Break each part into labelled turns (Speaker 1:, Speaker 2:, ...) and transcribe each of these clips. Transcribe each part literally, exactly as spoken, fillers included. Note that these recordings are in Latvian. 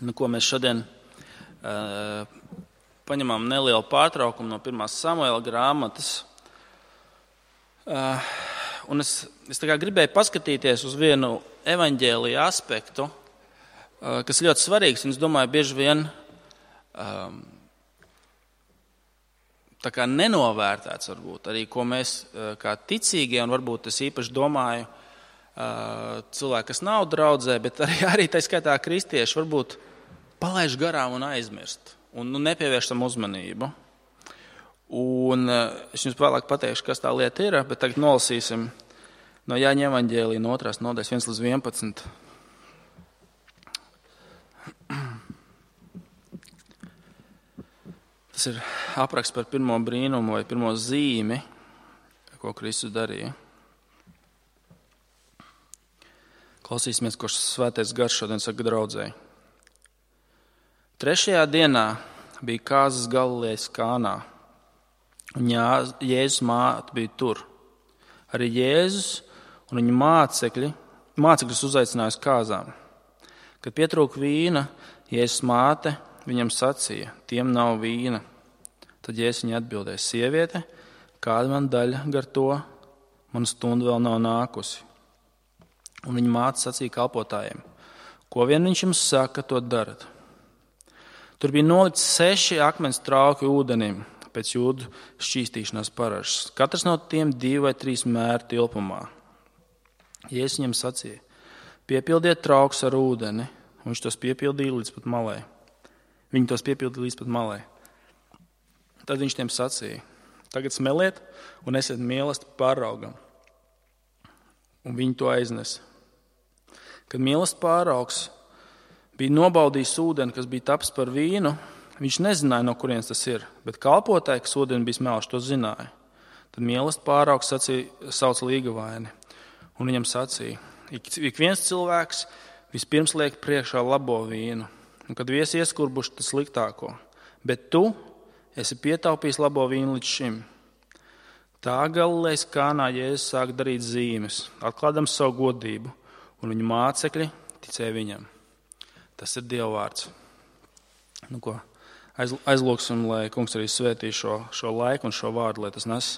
Speaker 1: Nu, ko mēs šodien uh, paņemam nelielu pārtraukumu no pirmās Samuela grāmatas. Uh, un es, es tā kā gribēju paskatīties uz vienu evaņģēlija aspektu, uh, kas ļoti svarīgs, un es domāju, bieži vien um, tā kā nenovērtēts varbūt arī, ko mēs uh, kā ticīgie, un varbūt es īpaši domāju, uh, cilvēki, kas nav draudzē, bet arī, arī tā skaitā kristieši varbūt palaiž garām un aizmirst, un nu, nepievērš tam uzmanību. Un es jums vēlāk pateikšu, kas tā lieta ir, bet tagad nolasīsim no Jāņa evaņģēlija no otrās nodaļas viens līdz vienpadsmit. Tas ir apraksts par pirmo brīnumu vai pirmo zīmi, ko Kristus darīja. Klausīsimies, ko svētais gars šodien saka draudzēji. Trešajā dienā bija kāzas Galilejas Kānā. Un Jēzus māte bija tur. Arī Jēzus un viņa mācekļi, mācekļus uzaicināja uz kāzām. Kad pietrūka vīna, Jēzus māte viņam sacīja, tiem nav vīna. Tad Jēzus viņai atbildēja, sieviete, kāda man daļa gar to, mana stunda vēl nav nākusi. Un viņa māte sacīja kalpotājiem, ko vien viņš jums saka, to darat. Tur bija nolikts seši akmens trauki ūdenim, pēc jūdu šķīstīšanās paražas. Katrs no tiem divi vai trīs mēru tilpumā. Jēzus viņam sacīja, piepildiet traukus ar ūdeni, un viņš tos piepildīja līdz pat malai. Viņi tos piepildīja līdz pat malai. Tad viņš tiem sacīja, tagad smeliet un esiet mīlesti pāraugam. Un viņi to aiznesa. Kad mīlesti pāraugs bija nobaudījis ūdeni, kas bija taps par vīnu, viņš nezināja, no kurienes tas ir, bet kalpotāji, kas ūdeni bija smelši, to zināja. Tad mīlesti pāraugs sacīja, sauc līgavaini, un viņam sacīja, ik, ik viens cilvēks vispirms liek priekšā labo vīnu, un kad viesi ieskurbuši, tas sliktāko. Bet tu esi pietaupījis labo vīnu līdz šim. Tā Galilejas Kānā Jēzus sāk darīt zīmes, atklādams savu godību, un viņa mācekļi ticēja viņam. Tas ir Dieva vārds. Nu ko? Aizlūksim, lai kungs arī svētī šo, šo laiku un šo vārdu, lai tas nes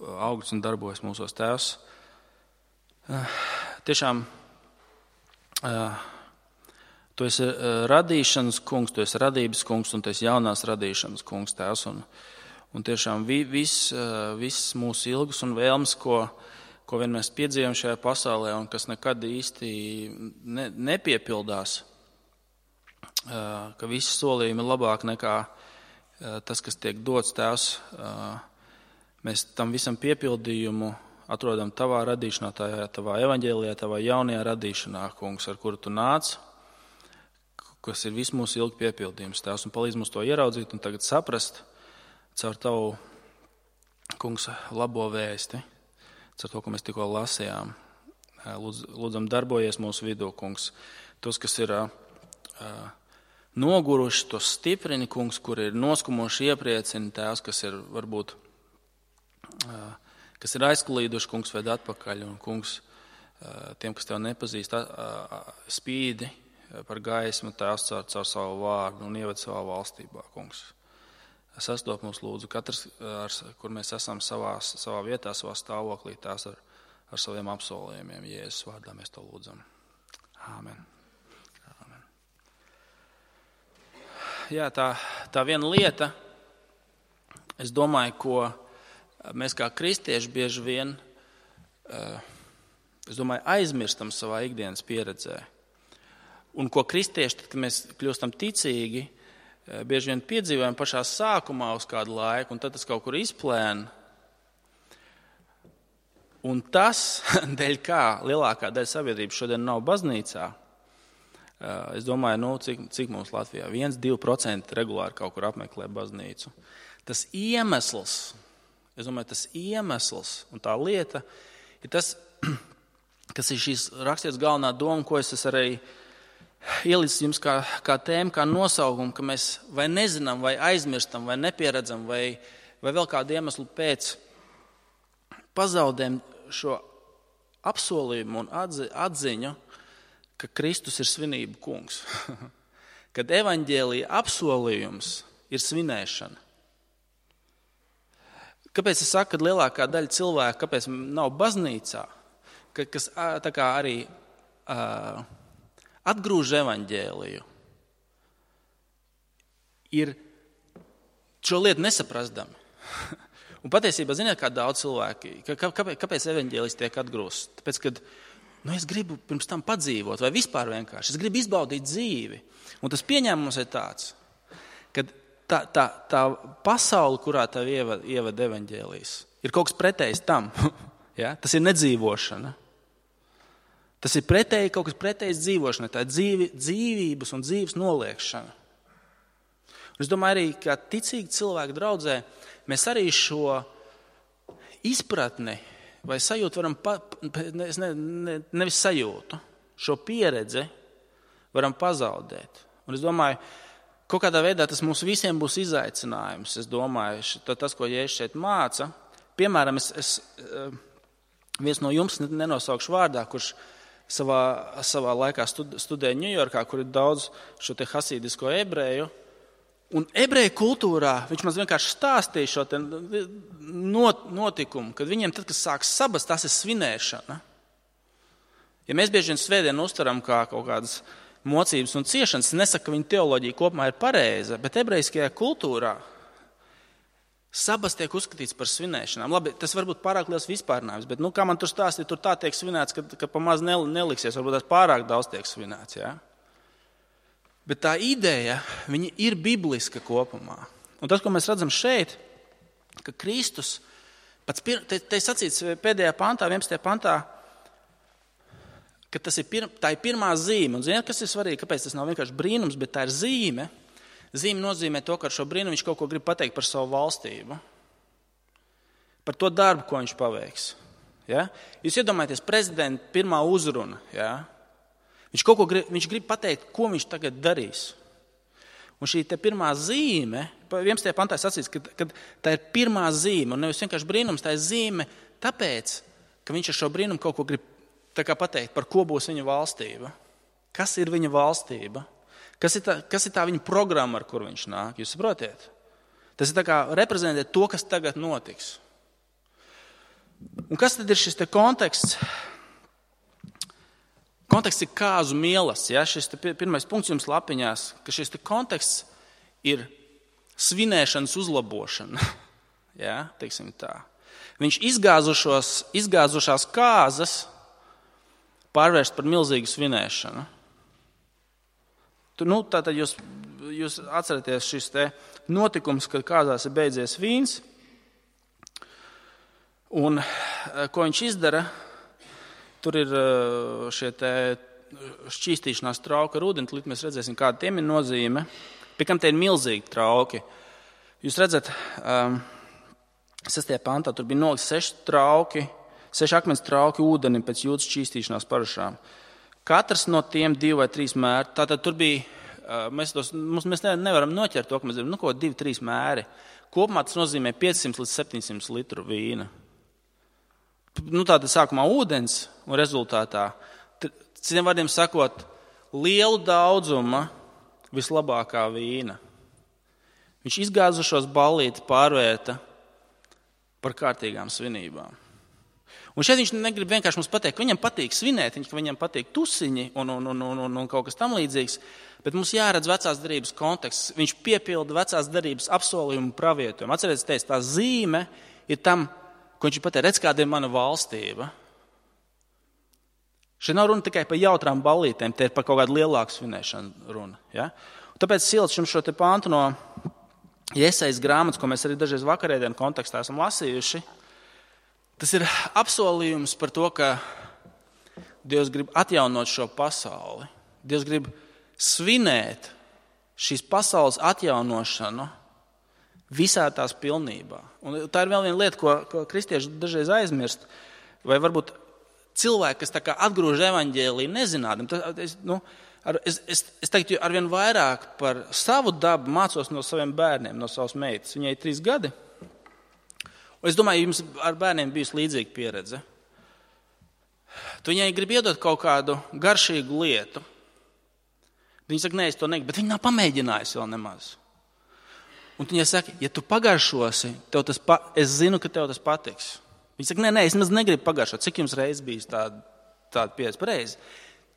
Speaker 1: augļus un darbojas mūsos Tēvs. Tiešām, tu esi radīšanas kungs, tu esi radības kungs un tu esi jaunās radīšanas kungs Tēvs. Un, un tiešām viss vis mūsu ilgas un vēlmes, ko, ko vien mēs piedzīvojam šajā pasaulē un kas nekad īsti ne, nepiepildās, ka visi solījumi ir labāk nekā tas, kas tiek dots Tēvs. Mēs tam visam piepildījumu atrodam tavā radīšanā, tajā, tavā evaņģēlijā, tavā jaunajā radīšanā, kungs, ar kuru tu nāc, kas ir viss mūsu ilgi piepildījums Tēvs, un palīdz mums to ieraudzīt un tagad saprast caur tavu, kungs, labo vēsti, caur to, ko mēs tikko lasījām. Lūdz, lūdzam, darbojies mūsu vidū, kungs, tos, kas ir uh, noguruši, tos stiprini, kungs, kur ir noskumuši iepriecini Tēvs, kas ir varbūt, kas ir aizklīduši, kungs, ved atpakaļ, un kungs, tiem, kas tev nepazīst, spīdi par gaismu Tēvs caur, caur savu vārdu un ieved savā valstībā, kungs. Sastop mums lūdzu, katrs, ar, kur mēs esam savā, savā vietā, savā stāvoklī, Tēvs ar, ar saviem apsolījumiem. Jēzus vārdā mēs to lūdzam. Āmen. Jā, tā, tā viena lieta, es domāju, ko mēs kā kristieši bieži vien, es domāju, aizmirstam savā ikdienas pieredzē. Un ko kristieši, tad, kad mēs kļūstam ticīgi, bieži vien piedzīvojam pašā sākumā uz kādu laiku, un tad tas kaut kur izplēna. Un tas, dēļ kā lielākā daļa sabiedrības šodien nav baznīcā, es domāju, nu, cik, cik mums Latvijā viens līdz divi procenti regulāri kaut kur apmeklē baznīcu. Tas iemesls, es domāju, tas iemesls un tā lieta ir tas, kas ir šīs rakstītas galvenā doma, ko es arī ielicis jums kā, kā tēmu, kā nosaukumu, ka mēs vai nezinām, vai aizmirstam, vai nepieredzam, vai, vai vēl kādu iemeslu pēc pazaudējam šo apsolījumu un atzi, atziņu, ka Kristus ir svinību kungs. kad evaņģēlija apsolījums ir svinēšana. Kāpēc es saku, ka lielākā daļa cilvēku, kāpēc nav baznīcā, kas tā kā arī uh, atgrūž evaņģēliju, ir šo lietu nesaprastami. Un patiesībā, ziniet, kā daudz cilvēki, kāpēc, kāpēc evaņģēlijs tiek atgrūsts? Tāpēc, kad nu, es gribu pirms tam padzīvot, vai vispār vienkārši, es gribu izbaudīt dzīvi. Un tas pieņēmums ir tāds, ka tā, tā, tā pasaule, kurā tev ievada, ievada evaņģēlijs, ir kaut kas pretējs tam. Ja? Tas ir nedzīvošana. Tas ir pretēji, kaut kas pretējs dzīvošanai, tā ir dzīvi, dzīvības un dzīves noliekšana. Un es domāju arī, ka ticīgi cilvēki draudzē, mēs arī šo izpratni vai sajūtu varam, pa, ne, ne, nevis sajūtu, šo pieredzi varam pazaudēt. Un es domāju, kaut kādā veidā tas mums visiem būs izaicinājums. Es domāju, tas, ko Jēzus šeit māca, piemēram, es, es viens no jums nenosaukšu vārdā, kurš savā, savā laikā studēja Ņujorkā, kur ir daudz šo te hasīdisko ebreju. Un ebreju kultūrā viņš man vienkārši stāstīja šo te notikumu, kad viņiem tad, kas sāks sabas, tas ir svinēšana. Ja mēs bieži vien svētdienu uztveram kā kaut kādas mocības un ciešanas, es nesaku, ka viņa teoloģija kopumā ir pareiza, bet ebrejiskajā kultūrā sabas tiek uzskatīts par svinēšanām. Labi, tas varbūt pārāk liels vispārnājums, bet, nu, kā man tur stāstīja, tur tā tiek svinēts, ka, ka pa maz neliksies, varbūt tās pārāk daudz tiek svinēts, jā. Bet tā ideja, viņa ir bibliska kopumā. Un tas, ko mēs redzam šeit, ka Kristus, pats pir, te, te sacīts pēdējā pantā, vienpadsmitajā pantā, ka tas ir, pir, tā ir pirmā zīme. Un ziniet, kas ir svarīgi, kāpēc tas nav vienkārši brīnums, bet tā ir zīme. Zīme nozīmē to, ka ar šo brīnumu viņš kaut ko grib pateikt par savu valstību. Par to darbu, ko viņš paveiks. Ja? Jūs iedomājaties prezidenta pirmā uzruna, ja? Viņš kaut ko grib, viņš grib pateikt, ko viņš tagad darīs. Un šī te pirmā zīme, vienpadsmitajā pantā sacīts, ka, ka tā ir pirmā zīme, un nevis vienkārši brīnums, tā ir zīme tāpēc, ka viņš ar šo brīnumu kaut ko grib tā kā pateikt, par ko būs viņa valstība. Kas ir viņa valstība? Kas ir tā, kas ir tā viņa programma, ar kur viņš nāk? Jūs saprotiet? Tas ir tā kā reprezentēt to, kas tagad notiks. Un kas tad ir šis te konteksts? Konteksts ir kāzu mielas, ja? Šis te pirmais punkts jums lapiņās, ka šis te konteksts ir svinēšanas uzlabošana. Ja? Teiksim tā. Viņš izgāzušos, izgāzušās kāzas pārvērst par milzīgu svinēšanu. Tu, nu, tātad jūs, jūs atceraties šis te notikums, kad kāzās ir beidzies vīns, un ko viņš izdara? Tur ir šie te šķīstīšanās trauki ar ūdeni, līdz mēs redzēsim, kāda tiem ir nozīme. Pie kam tie ir milzīgi trauki. Jūs redzat, um, sestajā pantā tur bija nolikt seši trauki, seši akmens trauki ūdeni pēc jūdas šķīstīšanās parašām. Katrs no tiem divi vai trīs mēri. Tātad tur bija, uh, mēs, tos, mums, mēs nevaram noķert to, ka mēs zinām, nu ko, divi, trīs mēri. Kopumā tas nozīmē piecsimt līdz septiņsimt litru vīna. Nu, tātad sākumā ūdens un rezultātā, citiem vārdiem sakot, lielu daudzuma vislabākā vīna. Viņš izgāzušos ballīti pārvērta par kārtīgām svinībām. Un šeit viņš negrib vienkārši mums pateikt, ka viņam patīk svinēt, ka viņam patīk tusiņi un, un, un, un, un kaut kas tam līdzīgs, bet mums jāredz vecās derības konteksts. Viņš piepilda vecās derības apsolījumu pravietojumu. Atcerieties, teic, tā zīme ir tam, ko viņš pateica, redz, kāda ir mana valstība. Šeit nav runa tikai par jautrām ballītēm, te ir par kaut kādu lielāku svinēšanu runa. Ja? Un tāpēc silts jums šo te pāntu no Jesajas grāmatas, ko mēs arī dažreiz vakarēdienu kontekstā esam lasījuši, tas ir apsolījums par to, ka Dievs grib atjaunot šo pasauli. Dievs grib svinēt šīs pasaules atjaunošanu visā tās pilnībā. Un tā ir vēl viena lieta, ko, ko kristieši dažreiz aizmirst, vai varbūt cilvēki, kas tā kā atgrūž evaņģēliju nezinādami. Es, nu, ar, es, es, es teiktu, arvien vairāk par savu dabu mācos no saviem bērniem, no savas meitas. Viņai ir trīs gadi. Un es domāju, jums ar bērniem bijusi līdzīga pieredze. Tu viņai grib iedot kaut kādu garšīgu lietu. Viņi saka, nē, es to negribu, bet viņi nav pamēģinājusi vēl nemaz. Un viņi saka, ja tu pagaršosi, tev tas pa, es zinu, ka tev tas patiks. Viņi saka, nē, nē, es maz negribu pagaršot. Cik jums reiz bijis tāda, tāda pieredze pareizi?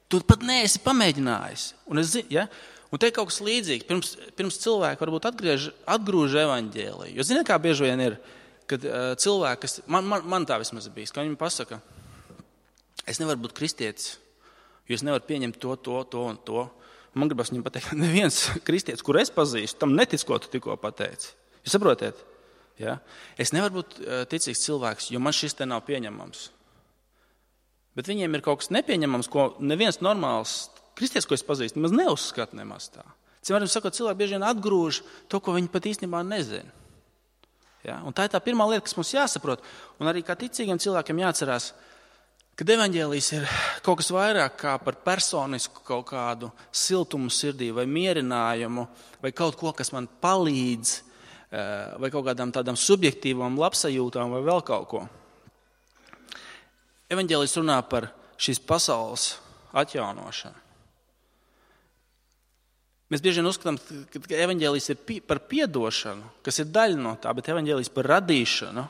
Speaker 1: Tu pat neesi pamēģinājis. Un, es zinu, ja? Un te ir kaut kas līdzīgs. Pirms, pirms cilvēki varbūt atgriež, atgrūž evaņģēliju. Jo ziniet, kā bieži vien ir, kad uh, cilvēki, kas, man, man, man tā vismaz ir bijis, ka viņi pasaka, es nevaru būt kristietis, jo es nevaru pieņemt to, to, to un to. Man gribas viņam pateikt, ka neviens kristietis, kur es pazīstu, tam netic, ko tu tikko pateici. Jūs saprotiet? Ja? Es nevaru būt uh, ticīgs cilvēks, jo man šis te nav pieņemams. Bet viņiem ir kaut kas nepieņemams, ko neviens normāls kristietis, ko es pazīstu, nemaz neuzskata nemaz tā. Cilvēki sakot, cilvēki bieži vien atgrūž to, ko viņi pat īstenībā nezina. Ja? Un tā ir tā pirmā lieta, kas mums jāsaprot. Un arī kā ticīgiem cilvēkiem jāatcerās, ka evaņģēlijs ir kaut kas vairāk kā par personisku kaut kādu siltumu sirdī vai mierinājumu vai kaut ko, kas man palīdz vai kaut kādām tādām subjektīvām labsajūtām vai vēl kaut ko. Evaņģēlijs runā par šīs pasaules atjaunošanu. Mēs bieži vien uzskatām, ka evaņģēlijs ir par piedošanu, kas ir daļa no tā, bet evaņģēlijs par radīšanu,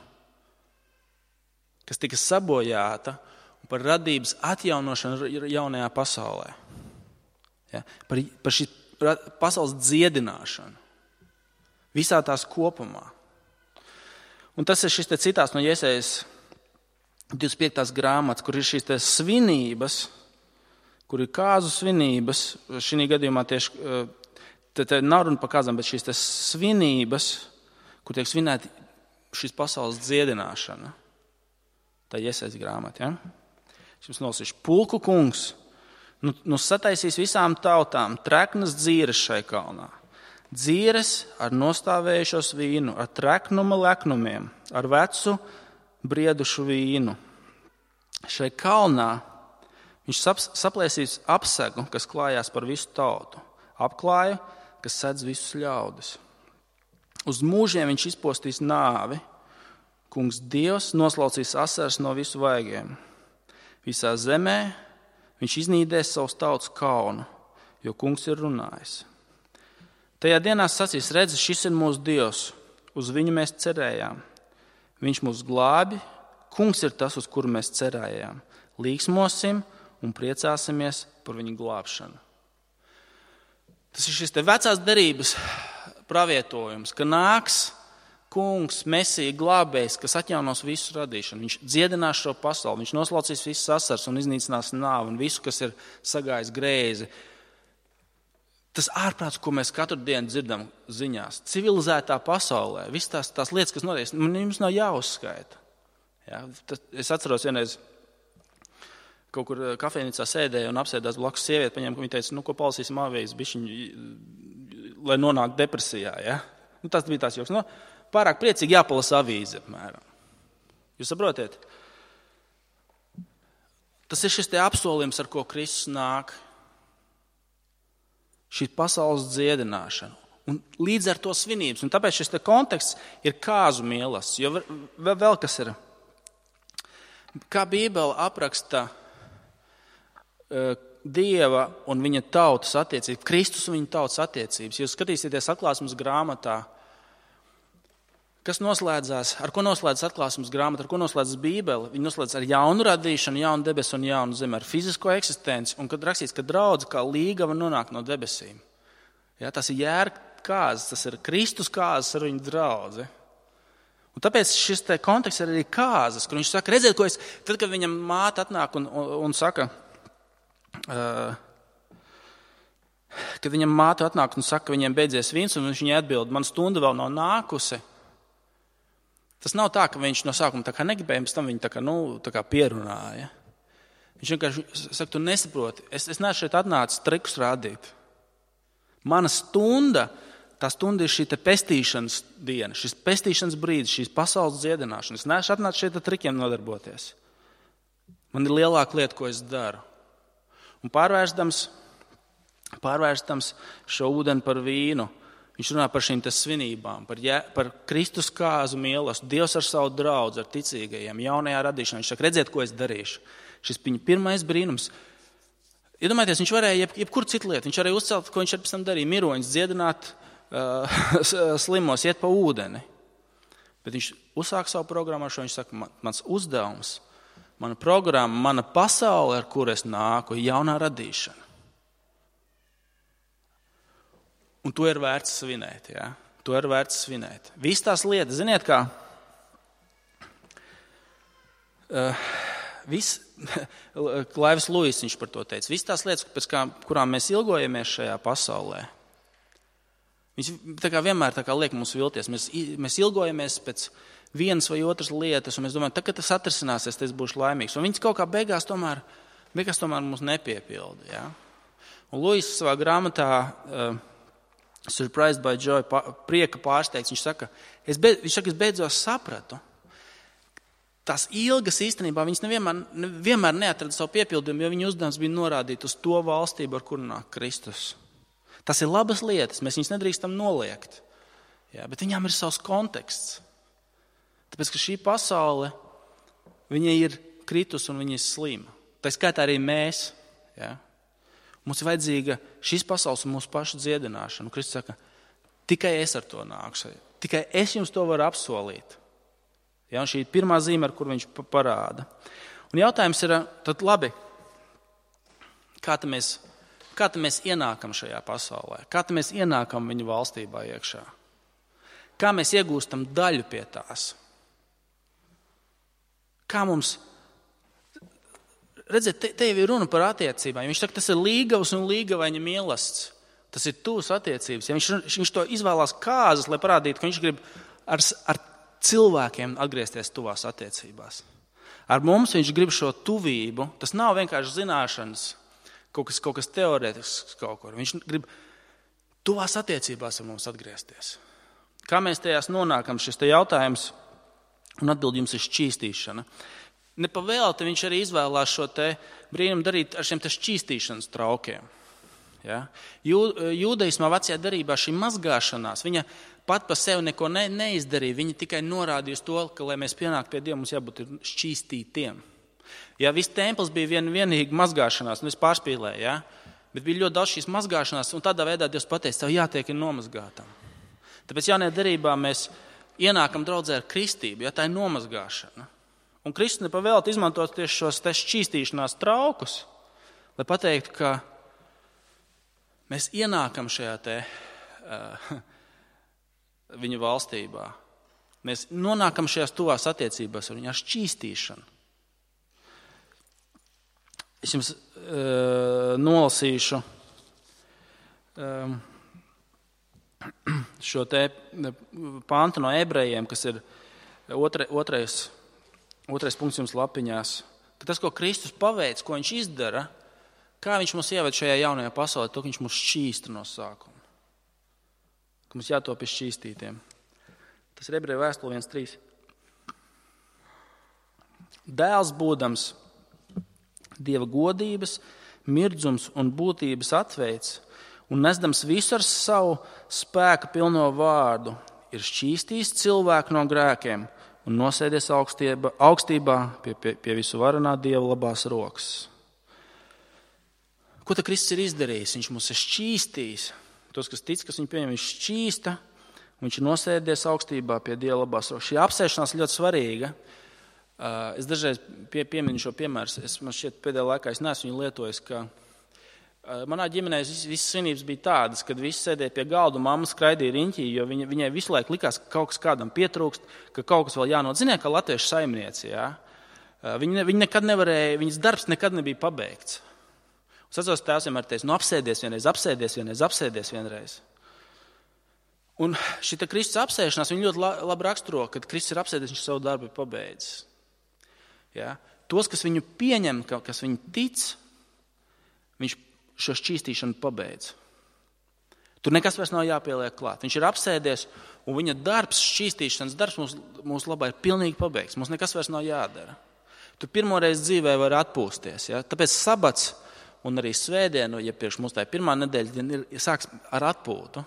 Speaker 1: kas tika sabojāta, un par radības atjaunošanu jaunajā pasaulē. Ja? Par, par šī pasaules dziedināšanu. Visā tās kopumā. Un tas ir šis te citāts no Jesajas divdesmit piektās grāmatas, kur ir šīs te svinības, kur ir kāzu svinības, šī gadījumā tieši, te, te nav runa par kāzām, bet šīs te svinības, kur tiek svinēti šīs pasaules dziedināšana. Tā ir Jesajas grāmata, ja? Šis nolasīšu, pulku kungs, nu, nu sataisīs visām tautām treknas dzīres šai kalnā. Dzīres ar nostāvējušos vīnu, ar treknuma leknumiem, ar vecu briedušu vīnu. Šai kalnā viņš saplēsīs apsegu, kas klājās par visu tautu, apklāju, kas sedz visus ļaudis. Uz mūžiem viņš izpostīs nāvi, kungs Dievs noslaucīs asaras no visu vaigiem. Visā zemē viņš iznīdēs savus tautas kaunu, jo kungs ir runājis. Tajā dienā sacīs, redzi, šis ir mūsu Dievs, uz viņu mēs cerējām. Viņš mūs glābi, kungs ir tas, uz kuru mēs cerējām. Līksmosim un priecāsimies par viņu glābšanu. Tas ir šis te vecās derības pravietojums, ka nāks kungs, Mesija, glābējs, kas atjaunos visu radīšanu. Viņš dziedinās šo pasauli, viņš noslaucīs visas asaras un iznīcinās nāvi un visu, kas ir sagājis greizi. Tas ārprāts, ko mēs katru dienu dzirdam ziņās, civilizētā pasaulē, visas tās, tās lietas, kas notiek, mums nav jāuzskaita. Ja? Es atceros vienreiz, kaut kur kafejnīcā sēdēju un apsēdās blakus sievieti, paņēma, ka viņa teica, nu, ko palasīsim avīzes, bišķiņi, lai nonāk depresijā. Ja? Nu, tas bija tās joks. Nu, pārāk priecīgi jāpalasa avīze, apmēram. Jūs saprotiet? Tas ir šis te apsolījums, ar ko Kristus nāk. Šī pasaules dziedināšana. Un līdz ar to svinības. Un tāpēc šis te konteksts ir kāzu mielasts. Jo vēl, vēl kas ir. Kā Bībele apraksta uh, Dieva un viņa tautas attiecības, Kristus un viņa tautas attiecības. Jūs skatīsieties atklāsmes grāmatā, kas noslēdzās, ar ko noslēdzas atklāsmes grāmata, ar ko noslēdzas Bībele. Viņa noslēdzas ar jaunu radīšanu, jaunu debesu un jaunu zemi, ar fizisko eksistenci. Un kad rakstīts, ka draudze kā līgava nonāk no debesīm. Ja, tas ir jēra kāzas, tas ir Kristus kāzas ar viņu draudzi. Un tāpēc šis te konteksts ir arī kāzas, kur viņš saka, redziet, ko es, tad, kad viņam māte atnāk un, un, un saka, uh, kad viņam māte atnāk un saka, ka viņiem beidzies vīns, un viņš viņai atbild, man stunda vēl nav nākusi. Tas nav tā, ka viņš no sākuma tā kā negribēja, pēc tam viņu tā kā, nu, tā kā pierunāja. Viņš vienkārši saka, tu nesaproti, es, es neesmu šeit atnācis trikus rādīt. Mana stunda, tā stunda ir šī te pestīšanas diena, šis pestīšanas brīdis, šīs pasaules dziedināšana. Es neesmu atnācis šeit ar trikiem nodarboties. Man ir lielāka lieta, ko es daru. Un pārvērstams, pārvērstams šo ūdeni par vīnu, viņš runā par šīm svinībām, par, ja, par Kristus kāzu mīlestību, Dievs ar savu draudzi, ar ticīgajiem, jaunajā radīšanā. Viņš saka, redziet, ko es darīšu. Šis viņa pirmais brīnums. Iedomājieties, viņš varēja jeb, jebkur citu lietu. Viņš varēja uzcelt, ko viņš ar pēc tam darīja, miroņus, dziedināt uh, slimos, iet pa ūdeni. Bet viņš uzsāk savu programmāšanu, viņš saka, man, mans uzdevums, mana programma, mana pasaule, ar kuru es nāku, ir jaunā radīšana. Un to ir vērts svinēt, jā. To ir vērts svinēt. Visas tās lietas, ziniet kā, uh, viss, Klaivs Luis viņš par to teica, visas tās lietas, pēc kā, kurām mēs ilgojamies šajā pasaulē, viņš tā kā vienmēr tā kā liek mums vilties. Mēs, mēs ilgojamies pēc vienas vai otras lietas, un mēs domājam, tā, kad tas atrisināsies, tas būšu laimīgs. Un viņš kaut kā beigās tomēr, beigās tomēr mums nepiepilda. Ja? Un Luis savā grāmatā uh, Surprised by Joy, prieka pārsteigts, viņš saka, es, be, viņš saka, es beidzos sapratu. Tās ilgas īstenībā, viņas nevienmēr, nevienmēr neatrada savu piepildījumu, jo viņa uzdevums bija norādīt uz to valstību, ar kuru nāk Kristus. Tas ir labas lietas, mēs viņas nedrīkstam noliegt. Jā, bet viņām ir savs konteksts. Tāpēc, ka šī pasaule, viņa ir kritus un viņa ir slima. Tā skaitā arī mēs. Jā. Mums ir vajadzīga šīs pasaules un mūsu pašu dziedināšana. Un Kristus saka, tikai es ar to nākšu. Tikai es jums to varu apsolīt. Ja, šī ir pirmā zīme, ar kur viņš parāda. Un jautājums ir, tad labi, kā tad mēs, kā tad mēs ienākam šajā pasaulē? Kā tad mēs ienākam viņa valstībā iekšā? Kā mēs iegūstam daļu pie tās? Kā mums, redziet, te, te jau ir runa par attiecībām. Viņš saka, tas ir līgavs un līgavaņa mielasts. Tas ir tūs attiecības. Ja viņš, viņš to izvēlās kāzas, lai parādītu, ka viņš grib ar, ar cilvēkiem atgriezties tuvās attiecībās. Ar mums viņš grib šo tuvību. Tas nav vienkārši zināšanas, kaut kas, kaut kas teorētisks kaut kur. Viņš grib tuvās attiecībās ar mums atgriezties. Kā mēs tajās nonākam, šis te jautājums un atbildi jums ir šķīstīšana. Nepavēlti viņš arī izvēlās šo te brīnumu darīt ar šiem te šķīstīšanas traukiem. Ja? Jū, jūdaismā vecajā darībā šī mazgāšanās, viņa pat pa sevi neko ne, neizdarīja, viņa tikai norādīja uz to, ka, lai mēs pienāktu pie Dieva, mums jābūt šķīstītiem. Ja viss templis bija vien, vienīgi mazgāšanās, un es pārspīlēju, ja? Bet bija ļoti daudz šīs mazgāšanās, un tādā veidā Dievs pateica, tev jātiek ir nomazgātam. Tāpēc jaunajā darībā mēs ienākam draudzē ar kristību, ja tā ir nomazgāšana. Un Kristus nepavēlti izmantot tieši šos te šķīstīšanās traukus, lai pateiktu, ka mēs ienākam šajā te uh, viņa valstībā. Mēs nonākam šajās tuvās attiecībās ar viņu ar šķīstīšanu. Es jums uh, nolasīšu um, šo te pantu no ebrejiem, kas ir otra, otrais, otrais punkts jums lapiņās. Ka tas, ko Kristus paveic, ko viņš izdara, kā viņš mūs ieved šajā jaunajā pasaulē, to, ka viņš mūs šķīsta no sākuma. Ka mums jātop pie šķīstītiem. Tas ir Ebreju vēstule viens trīs. Dēls būdams Dieva godības, mirdzums un būtības atveids un nesdams visu ar savu spēku pilno vārdu, ir šķīstījis cilvēku no grēkiem un nosēdies augstībā, augstībā pie, pie, pie visu varenā Dieva labās rokas. Ko tad Kristus ir izdarījis? Viņš mūs ir šķīstījis. Tos, kas tic, kas viņu pieņem, viņš šķīsta, un viņš ir nosēdies augstībā pie Dieva labās rokas. Šī apsēšanās ļoti svarīga. Es dažreiz pie, pieminu šo piemēru. Es man šķiet pēdējā laikā es neesmu viņu lietojis, ka manā ģimenē visas svinības bija tādas, kad visi sēdēja pie galda un mamma skraidīja riņķī, jo viņa, viņai visu laiku likās, ka kaut kas kādam pietrūkst, ka kaut kas vēl jānot. Ziniet, kā latviešu saimnieci, jā? Viņa, viņa nekad nevarēja, viņas darbs nekad nebija pabeigts. Es atceros, tēvs vienmēr teica, nu apsēdies vienreiz, apsēdies vienreiz, apsēdies vienreiz. Un šita Kristus apsēšanās, viņa ļoti labi raksturo, kad Kristus ir apsēdies, viņš savu darbu ir pabeidzis. Ja? Tos, kas viņu pieņem, kas viņu tic, viņš šo šķīstīšanu pabeidz. Tur nekas vairs nav jāpieliek klāt. Viņš ir apsēdies, un viņa darbs, šķīstīšanas darbs mūsu mūs labā ir pilnīgi pabeigts. Mums nekas vairs nav jādara. Tu pirmoreiz dzīvē vari atpūsties. Ja? Tāpēc sabats un arī svētdienu, ja priekš mums tā ir pirmā nedēļa, ir sāks ar atpūtu.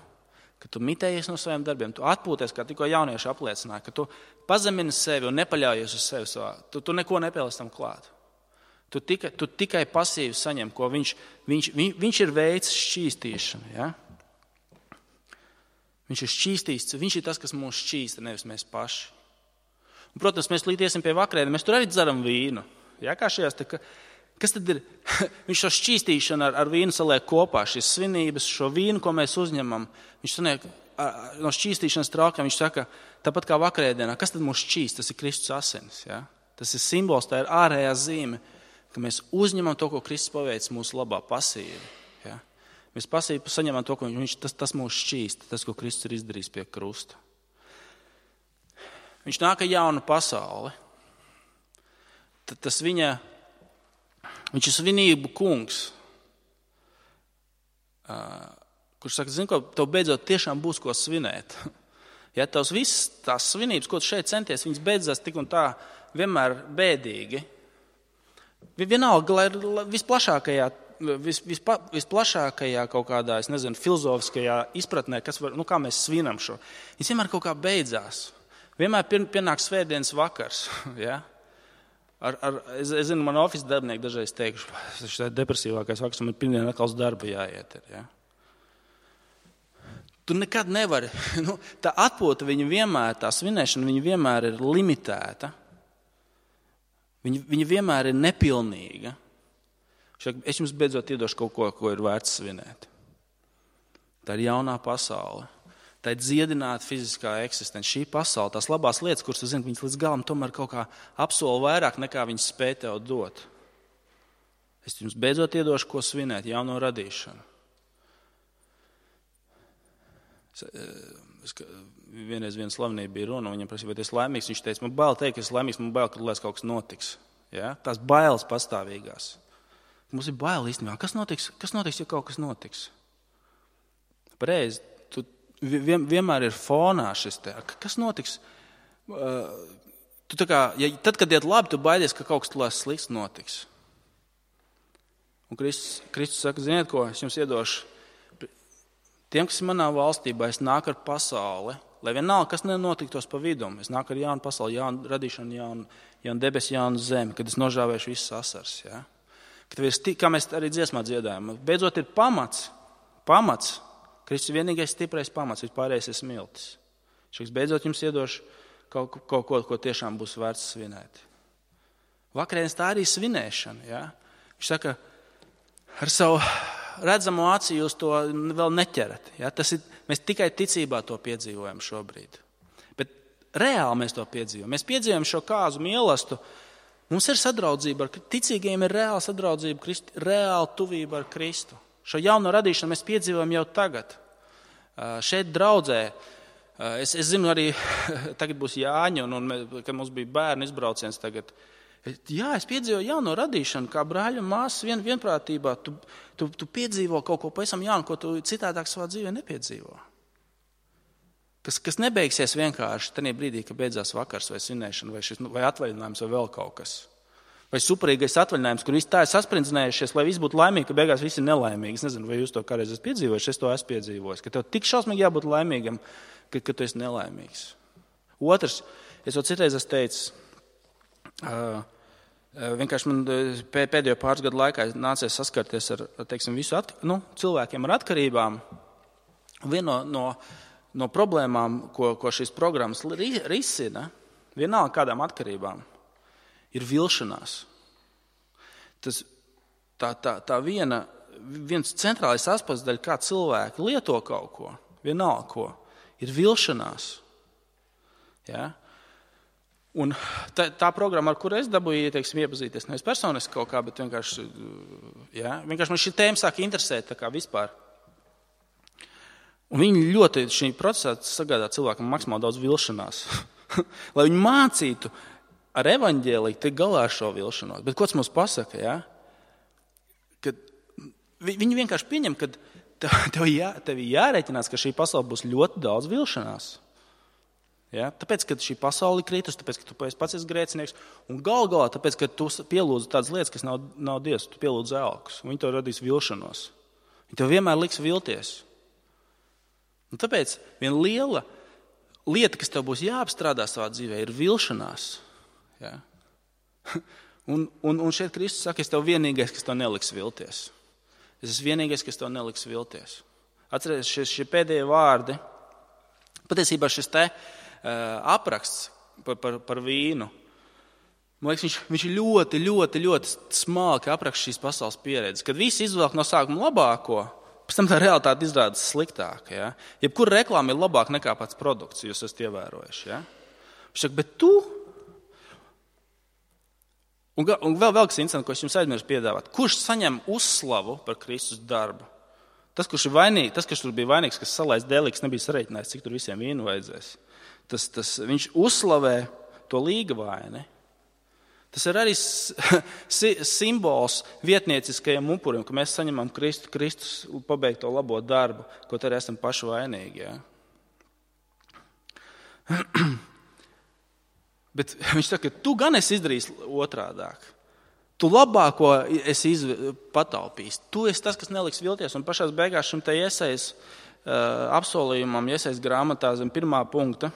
Speaker 1: Ka tu mitējies no saviem darbiem, tu atpūties, kā tikko jaunieši apliecināja, ka tu pazemini sevi un nepaļaujies uz sevi savā. Tu, tu neko nepieliec tam klāt. Tu tikai, tu tikai pasīvi saņem, ko viņš, viņš, viņš, viņš ir veids šķīstīšanu. Ja? Viņš ir šķīstīs, viņš ir tas, kas mūs šķīsta, nevis mēs paši. Un, protams, mēs līdiesim pie vakarēna, mēs tur arī dzeram vīnu. Ja? Kā šajās, tā, kas tad ir? Viņš šo šķīstīšanu ar, ar vīnu saliek kopā, šīs svinības, šo vīnu, ko mēs uzņemam. Viņš saniek, no šķīstīšanas traukiem, viņš saka, tāpat kā vakarēdienā, kas tad mūs šķīst? Tas ir Kristus asinis. Ja? Tas ir simbols, tā ir ārējā zīme, ka mēs uzņemam to, ko Kristus paveic mūsu labā pasīvi. Ja? Mēs pasīvi saņemam to, ko viņš, tas, tas mūs šķīst, tas, ko Kristus ir izdarījis pie krusta. Viņš nāk ar jaunu pasauli. Tad tas viņa, viņš ir svinību kungs, kurš saka, zini, ko, tev beidzot tiešām būs ko svinēt. Ja tavs visas tās svinības, ko tu šeit centies, viņas beidzās tik un tā vienmēr bēdīgi. Vienalga, lai visplašākajā, vis, vispa, visplašākajā kaut kādā, es nezinu, filozofiskajā izpratnē, kas var, nu kā mēs svinam šo, viņas vienmēr kaut kā beidzās. Vienmēr pienāk svētdienas vakars. Ja? Ar, ar, es, es zinu, man ofisa darbinieki dažreiz teikuši, tas ir depresīvākais vakars, man ir pirmdien atkal uz darbu jāiet. Ja? Tu nekad nevari, nu, tā atpūta viņa vienmēr, tā svinēšana viņa vienmēr ir limitēta. Viņa, viņa vienmēr ir nepilnīga. Es jums beidzot iedošu kaut ko, ko ir vērts svinēt. Tā ir jaunā pasaule. Tā ir dziedināta fiziskā eksistence. Šī pasaule, tās labās lietas, kuras tu zini, viņas līdz galam tomēr kaut kā apsola vairāk, nekā viņas spēj tev dot. Es jums beidzot iedošu, ko svinēt, jauno radīšanu. Es, es, vienreiz viena slavenība bija runa, viņam prasīja, vai tu esi laimīgs. Viņš teica, man bail teikt, ka es laimīgs, man bail, ka lai kaut kas notiks. Ja? Tās bailes pastāvīgās. Mums ir bail īstenībā. Kas notiks, kas notiks, ja kaut kas notiks? Pareizi, tu vien, vienmēr ir fonā šis te. Kas notiks? Uh, tu tā kā, ja, tad, kad iet labi, tu baidies, ka kaut kas tulēs slikts notiks. Un Kristus, Kristus saka, ziniet ko, es jums iedošu. Tiem, kas ir manā valstībā, es nāku ar pasauli, lai vienalga, kas nenotiktos pa vidu. Es nāku ar jaunu pasauli, jaunu radīšanu, jaunu, jaunu debesi, jaunu zemi, kad es nožāvēšu visas asars. Ja? Kad es, kā mēs arī dziesmā dziedājam, beidzot ir pamats, pamats, Kristus ir vienīgais stiprais pamats, vispārējais ir smiltis. Šis beidzot jums iedošu kaut, kaut ko, ko tiešām būs vērts svinēt. Vakarēdienas tā arī svinēšana. Ja? Viņš saka, ar savu redzamo acī jūs to vēl neķerat. Ja? Tas ir, mēs tikai ticībā to piedzīvojam šobrīd. Bet reāli mēs to piedzīvojam. Mēs piedzīvojam šo kāzu mīlestību. Mums ir sadraudzība ar ticīgajiem, ir reāla sadraudzība, Kristi, reāla tuvība ar Kristu. Šo jauno radīšanu mēs piedzīvojam jau tagad. Šeit draudzē, es, es zinu arī, tagad būs Jāņa, un, un kad mums bija bērnu izbrauciens tagad, jā, es piedzīvoju jauno radīšanu, kā brāļi un māsas vien, vienprātībā. Tu, tu, tu piedzīvo kaut ko pavisam jaunu, ko tu citādāk savā dzīvē nepiedzīvo. Kas, kas nebeigsies vienkārši tajā brīdī, kad beidzās vakars vai svinēšana, vai, šis, vai atvaļinājums, vai vēl kaut kas. Vai superīgais atvaļinājums, kur visi tā ir sasprindzinājušies, lai viss būtu laimīgi, ka beigās visi ir nelaimīgi. Es nezinu, vai jūs to kādreiz esat piedzīvojuši, es to esmu piedzīvojis. Ka tev tik šausmīgi jābūt laimīgam, ka, ka tu esi nelaimīgs. Otrs, es jau citreiz esmu teicis, uh, vienkārši man pēdējo pāris gadu laikā nācies saskarties ar, teiksim, visu at, nu, cilvēkiem ar atkarībām. Viena no, no, no problēmām, ko, ko šīs programmas risina, vienalga kādām atkarībām, ir vilšanās. Tas, tā, tā, tā viena, viens centrālais aspekts, daļa, kā cilvēki lieto kaut ko, vienalga ko, ir vilšanās. Ja? Un tā, tā programma, ar kuru es dabūju, teiksim, iepazīties, nevis personiski kaut kā, bet vienkārši, ja? vienkārši man šī tēma sāk interesēt tā kā vispār. Un viņi ļoti šī procesā sagādā cilvēkam maksimāli daudz vilšanās. Lai viņi mācītu ar evaņģēliju tik galā ar šo vilšanos. Bet ko tas mums pasaka, ja? Kad viņi vienkārši pieņem, ka tev, jā, tev jārēķinās, ka šī pasaule būs ļoti daudz vilšanās. Ja? Tāpēc, ka šī pasaule ir kritus, tāpēc, ka tu pats esi grēcinieks, un gal galā, tāpēc, ka tu pielūdzi tādas lietas, kas nav, nav Dievs, tu pielūdzi elkus, un viņi tev radīs vilšanos. Viņi tev vienmēr liks vilties. Un tāpēc viena liela lieta, kas tev būs jāapstrādā savā dzīvē, ir vilšanās. Ja? Un, un, un šeit Kristus saka, es tev vienīgais, kas tev neliks vilties. Es esmu vienīgais, kas tev neliks vilties. Atcerieties, šie, šie pēdējie vārdi, patiesībā šis te uh, apraksts par, par, par vīnu, man liekas, viņš, viņš ļoti, ļoti, ļoti smalki apraksta šīs pasaules pieredzes, kad visi izvelk no sākuma labāko, pēc tam tā realitāte izrādās sliktāka. Ja? Jebkura reklāma ir labāka nekā pats produkts, jūs esat ievērojuši. Ja? Viņš saka, bet tu... Un, un vēl, vēl kas interesants, ko es jums aizmirsu piedāvāt. Kurš saņem uzslavu par Kristus darbu? Tas, kurš ir vainīgs, tas, kurš tur bija vainīgs, kas salaist dēlī, kas nebija sareiķinājis, cik tur visiem vīnu vajadzēs. Tas, tas, viņš uzslavē to līgavaini. Tas ir arī simbols vietnieciskajam upurim, ka mēs saņemam Kristu, Kristus pabeigt to labo darbu, ko arī esam paši vainīgi. Ja? Bet viņš saka, ka tu gan esi izdarījis otrādāk. Tu labāko esi izv... pataupījis. Tu esi tas, kas neliks vilties. Un pašās beigās šim te Jesajas uh, apsolījumam, Jesajas grāmatā zem pirmā punkta,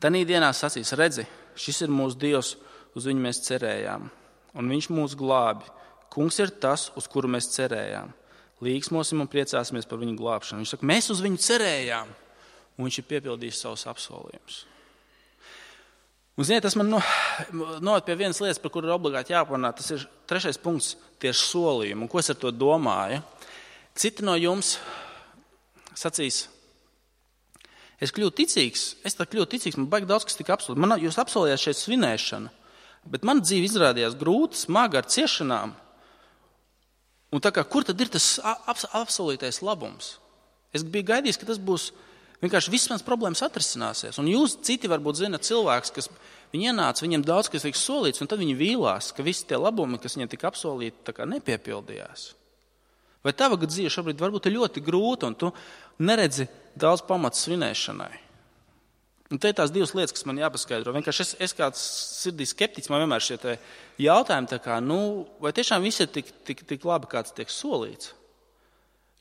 Speaker 1: tanī dienā sacīs, redzi, šis ir mūsu Dievs, uz viņu mēs cerējām, un viņš mūs glābi. Kungs ir tas, uz kuru mēs cerējām. Līgsmosim un priecāsimies par viņu glābšanu. Viņš saka, mēs uz viņu cerējām, un viņš ir piepildījis savus apsolījumus. Un, ziniet, tas man noved pie vienas lietas, par kuru ir obligāti jāparunā. Tas ir trešais punkts tieši solījumi. Un ko es ar to domāju? Citi no jums sacīs, es kļūtu ticīgs, es tā kļūtu ticīgs, man baigi daudz, kas tika apsolīts. Man, jūs apsolījāt šeit svinēšanu, bet man dzīve izrādījās grūta, smaga ar ciešanām. Un tā kā, kur tad ir tas apsolītais labums? Es biju gaidījis, ka tas būs vienkārši viss mans problēmas atrisināsies. Un jūs citi varbūt zināt cilvēks, kas viņi ienāca, viņiem daudz, kas tiks solīts, un tad viņi vīlās, ka visi tie labumi, kas viņiem tika apsolīti, tā kā nepiepildījās. Vai tava dzīve šobrīd varbūt ir ļoti grūta, un tu neredzi daudz pamats svinēšanai? Un te ir tās divas lietas, kas man jāpaskaidro. Vienkārši es, es kāds sirdī skeptiķis, man vienmēr šie te jautājumi, tā kā, nu, vai tiešām viss ir tik, tik, tik labi, kāds tiek solīts?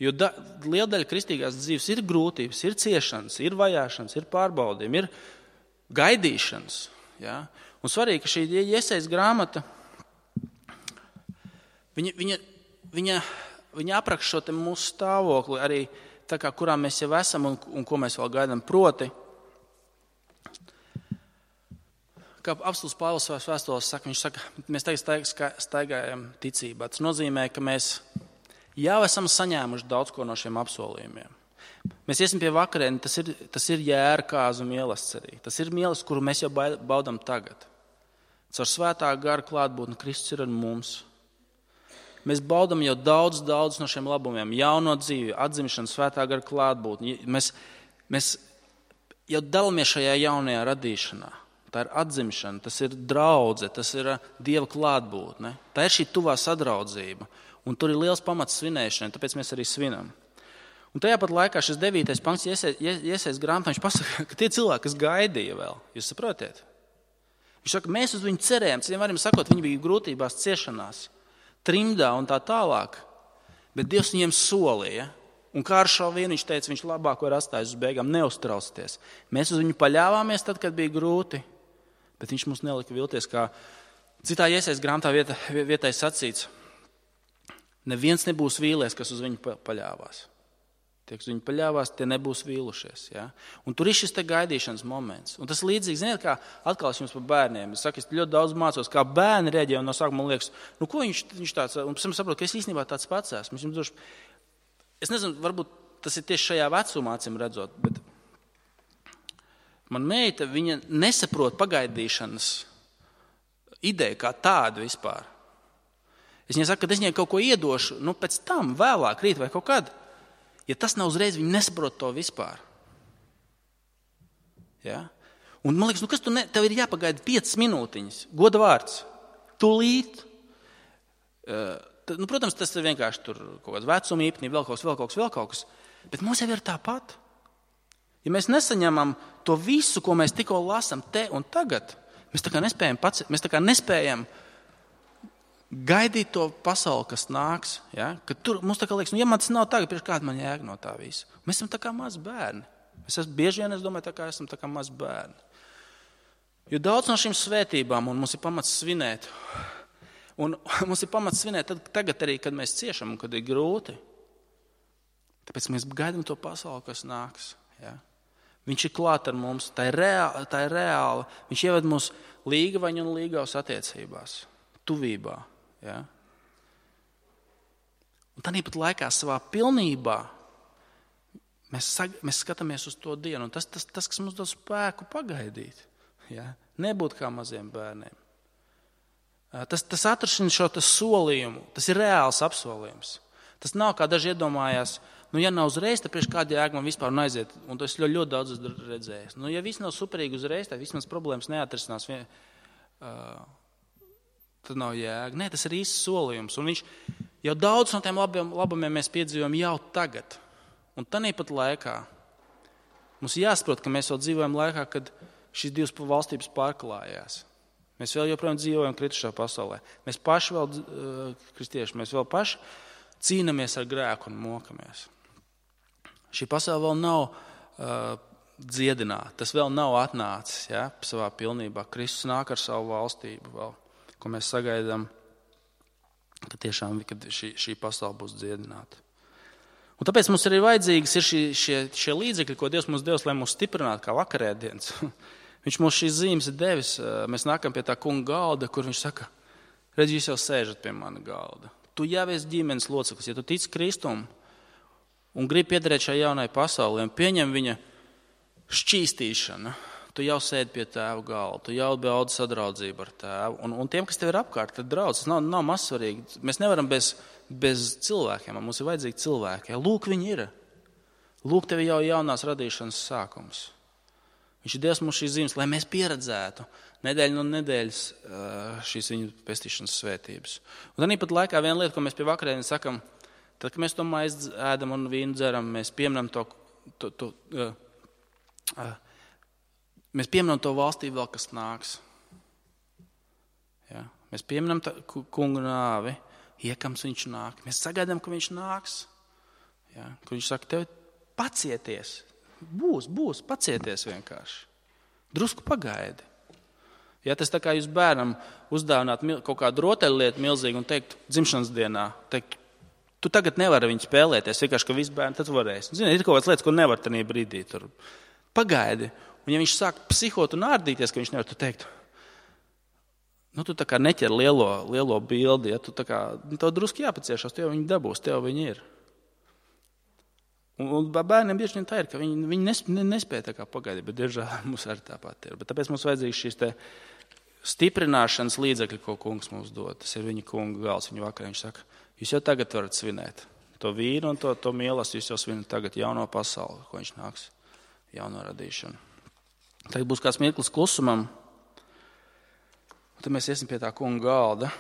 Speaker 1: Jo da, liela daļa kristīgās dzīves ir grūtības, ir ciešanas, ir vajāšanas, ir pārbaudījumi, ir gaidīšanas. Ja? Un svarīgi, ka šī Jesajas grāmata, viņa, viņa, viņa, viņa apraksta šo te mūsu stāvokli arī tā kā, kurā mēs jau esam un, un ko mēs vēl gaidām. Proti, kā apostuls Pāvils savās vēstulēs saka, viņš saka, mēs tagad staigājam ticībā. Tas nozīmē, ka mēs jau esam saņēmuši daudz ko no šiem apsolījumiem. Mēs iesim pie vakariņas, tas ir, tas ir jēra kāzu mīlestība. Tas ir mīlestība, kuru mēs jau baudām tagad. Caur svētā gara klātbūtni Kristus ir ar mums. Mēs baudām jau daudz, daudz no šiem labumiem. Jauno dzīvi, atzimšanu, svētā gara klātbūtni. Mēs, mēs jau dalāmies šajā jaunajā radīšanā. Tā ir atzimšana, tas ir draudze, tas ir Dieva klātbūtne. Tā ir šī tuvā sadraudzība. Un tur ir liels pamats svinēšanai, tāpēc mēs arī svinam. Un tajā pat laikā šis devītais pants Jesajas grāmatā, viņš pasaka, ka tie cilvēki, kas gaidīja vēl, jūs saprotiet? Viņš saka, mēs uz viņu cerējām, citiem varam sakot, viņi bija grūtībās, ciešanās, trimdā un tā tālāk, bet Dievs viņiem solīja. Un kā ar šo vienu viņš teica, viņš labāk var atstājis uz beigām, neuztraucieties. Mēs uz viņu paļāvāmies tad, kad bija grūti, bet viņš mums nelika vilties, kā citā Jesajas grāmatā vieta, vietai sacīts. Neviens nebūs vīlies, kas uz viņu paļāvās. Tie, kas uz viņu paļāvās, tie nebūs vīlušies. Ja? Un tur ir šis te gaidīšanas moments. Un tas līdzīgi, ziniet, kā atkal es jums par bērniem. Es saku, es ļoti daudz mācos, kā bērni reaģē, un no sākuma man liekas, nu ko viņš, viņš tāds, un pēc tam saprotu, ka es īstenībā tāds pats esmu. Es nezinu, varbūt tas ir tieši šajā vecumā, acīm redzot, bet man meita, viņa nesaprot pagaidīšanas ideju kā tādu vispār. Es viņai saku, ka es viņai kaut ko iedošu, nu pēc tam, vēlāk, rīt vai kaut kad. Ja tas nav uzreiz, viņi nesaprot to vispār. Ja? Un man liekas, nu kas tu ne, tev ir jāpagaida piecas minūtiņas, goda vārds, tūlīt. Uh, tad, nu, protams, tas ir vienkārši tur kaut kāds vecuma īpnība, vēl kaut kas, vēl kaut kas, vēl kaut kas. Bet mums jau ir tāpat. Ja mēs nesaņemam to visu, ko mēs tikko lasam te un tagad, mēs tā kā nespējam pats, mēs tā kā nespējam gaidīt to pasauli, kas nāks. Ja? Kad tur mums tā kā liekas, nu, ja man tas nav tagad, priekš kāda man jēga no tā visa. Mēs esam tā kā mazi bērni. Mēs esam bieži vien, es domāju, tā kā esam tā kā mazi bērni. Jo daudz no šīm svētībām, un mums ir pamats svinēt, un mums ir pamats svinēt tad, tagad arī, kad mēs ciešam un kad ir grūti. Tāpēc mēs gaidām to pasauli, kas nāks. Ja? Viņš ir klāt ar mums, tā ir reāli, tā ir reāli. Viņš ieved mūs līgavaņu un līgavas attiecībās, tuvībā. Ja? Un tāpat laikā savā pilnībā mēs, sag, mēs skatāmies uz to dienu. Un tas, tas, tas, kas mums dod spēku pagaidīt. Ja? Nebūt kā maziem bērniem. Tas, tas atrašina šo tas solījumu. Tas ir reāls apsolījums. Tas nav kā daži iedomājās. Nu, ja nav uzreiz, tad priekš kāda jēga man vispār aiziet. Un to es ļoti, ļoti daudz esmu redzējis. Nu, ja viss nav superīgi uzreiz, tad vismaz problēmas neatrisinās. Vien, uh, tad nav jēga. Nē, tas ir īsts solījums. Un viņš jau daudz no tiem labiem, labumiem mēs piedzīvojam jau tagad. Un tāpat laikā mums jāsaprot, ka mēs vēl dzīvojam laikā, kad šīs divas valstības pārklājās. Mēs vēl joprojām dzīvojam kritušā pasaulē. Mēs paši vēl, uh, kristieši, mēs vēl paši cīnamies ar grēku un mokamies. Šī pasaule vēl nav uh, dziedināta, tas vēl nav atnācis ja, savā pilnībā. Kristus nāk ar savu valstību vēl, ko mēs sagaidām, ka tiešām kad šī, šī pasaule būs dziedināta. Un tāpēc mums arī vajadzīgas ir šie, šie, šie līdzekļi, ko Dievs mums devis, lai mūs stiprinātu kā vakarēdienas. Viņš mums šīs zīmes ir devis. Mēs nākam pie tā kunga galda, kur viņš saka, redz, jūs jau sēžat pie mana galda. Tu jau esi ģimenes loceklis, ja tu tici Kristum un gribi piederēt šai jaunai pasaulē un pieņem viņa šķīstīšanu, tu jau sēdi pie tēva galda, tu jau baudi sadraudzību ar tēvu. Un, un tiem, kas tev ir apkārt, tad draudz, tas nav, nav mazsvarīgi. Mēs nevaram bez, bez cilvēkiem, mums ir vajadzīgi cilvēki. Lūk, viņi ir. Lūk, tev jau jaunās radīšanas sākums. Viņš ir Dievs mums šīs zīmes, lai mēs pieredzētu nedēļu no nedēļas šīs viņu pestīšanas svētības. Un tāpat laikā viena lieta, ko mēs pie vakarēdienas sakam, tad, kad mēs to maizi ēdam un vīnu dzeram, mēs pieminam to, to, to, uh, uh, mēs pieminam to valstību vēl, kas nāks. Ja? Mēs pieminam kungu nāvi, iekams viņš nāk. Mēs sagaidām, ka viņš nāks. Ja? Ka viņš saka, tev pacieties. Būs, būs, pacieties vienkārši. Drusku pagaidi. Ja tas tā kā jūs bērnam uzdāvināt kaut kādu rotaļlietu milzīgu un teikt dzimšanas dienā, teikt, tu tagad nevari viņu spēlēties, vienkārši, ka visi bērni tad varēs. Zini, ir kaut kādas lietas, ko nevar tanī brīdī tur. Pagaidi. Un ja viņš sāk psihot un ārdīties, ka viņš nevar, tu teikt, nu tu tā kā neķer lielo, lielo bildi, ja tu tā kā, tev drusku jāpaciešās, tev viņi dabūs, tev viņi ir. Un bērniem bieži vien tā ir, ka viņi, viņi nespēja tā kā pagaidīt, bet diemžēl mums arī tāpat ir. Bet tāpēc mums vajadzīgs šīs te stiprināšanas līdzekļi, ko kungs mums dod. Tas ir viņa kunga gals, viņa vakarā. Viņš saka, jūs jau tagad varat svinēt. To vīnu un to, to mielas jūs jau svinat tagad jauno pasauli, ko viņš nāks, jauno radīšanu. Tagad būs kāds mirklis klusumam. Un tad mēs iesim pie tā kunga galda.